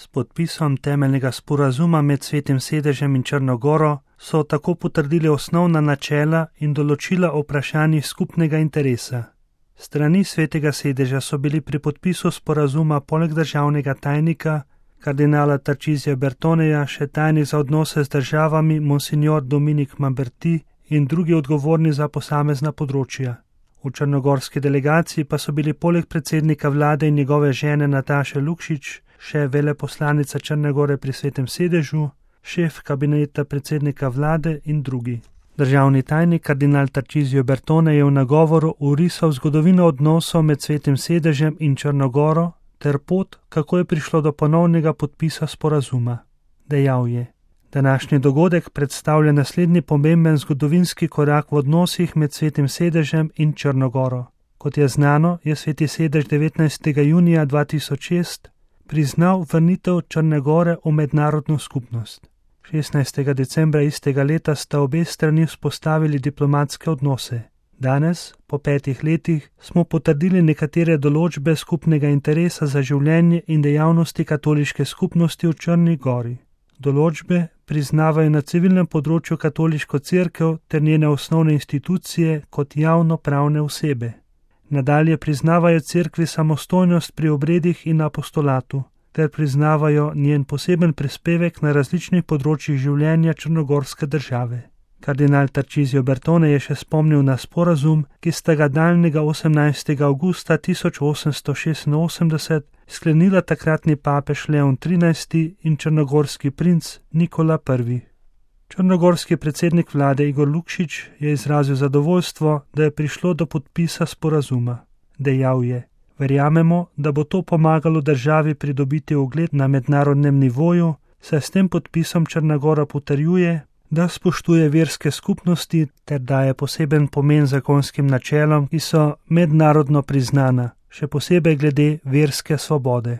S podpisom temeljnega sporazuma med Svetim sedežem in Črno goro so tako potrdili osnovna načela in določila o vprašanjih skupnega interesa. Strani Svetega sedeža so bili pri podpisu sporazuma poleg državnega tajnika, kardinala Tarcisija Bertoneja, še tajnik za odnose z državami monsignor Dominik Mamberti in drugi odgovorni za posamezna področja. V črnogorski delegaciji pa so bili poleg predsednika vlade in njegove žene Nataše Lukšič še veleposlanica Črne gore pri Svetem sedežu, šef kabineta predsednika vlade in drugi. Državni tajnik kardinal Tarcisio Bertone je v nagovoru orisal zgodovino odnosov med Svetim sedežem in Črno goro ter pot, kako je prišlo do ponovnega podpisa sporazuma. Dejal je: današnji dogodek predstavlja naslednji pomemben zgodovinski korak v odnosih med Svetim sedežem in Črno goro. Kot je znano, je Sveti sedež 19. junija 2006 priznal vrnitev Črne gore v mednarodno skupnost. 16. decembra istega leta sta obe strani vzpostavili diplomatske odnose. Danes, po 5 letih, smo potrdili nekatere določbe skupnega interesa za življenje in dejavnosti katoliške skupnosti v Črni gori. Določbe priznavajo na civilnem področju katoliško cerkev ter njene osnovne institucije kot javno-pravne osebe. Nadalje priznavajo cerkvi samostojnost pri obredih in apostolatu, ter priznavajo njen poseben prispevek na različnih področjih življenja črnogorske države. Kardinal Tarcisio Bertone je še spomnil na sporazum, ki sta ga daljnega 18. avgusta 1886 sklenila takratni papež Leon XIII in črnogorski princ Nikola I. Črnogorski predsednik vlade Igor Lukšič je izrazil zadovoljstvo, da je prišlo do podpisa sporazuma. Dejal je: verjamemo, da bo to pomagalo državi pridobiti ugled na mednarodnem nivoju, saj s tem podpisom Črna gora potrjuje, da spoštuje verske skupnosti ter daje poseben pomen zakonskim načelom, ki so mednarodno priznana, še posebej glede verske svobode.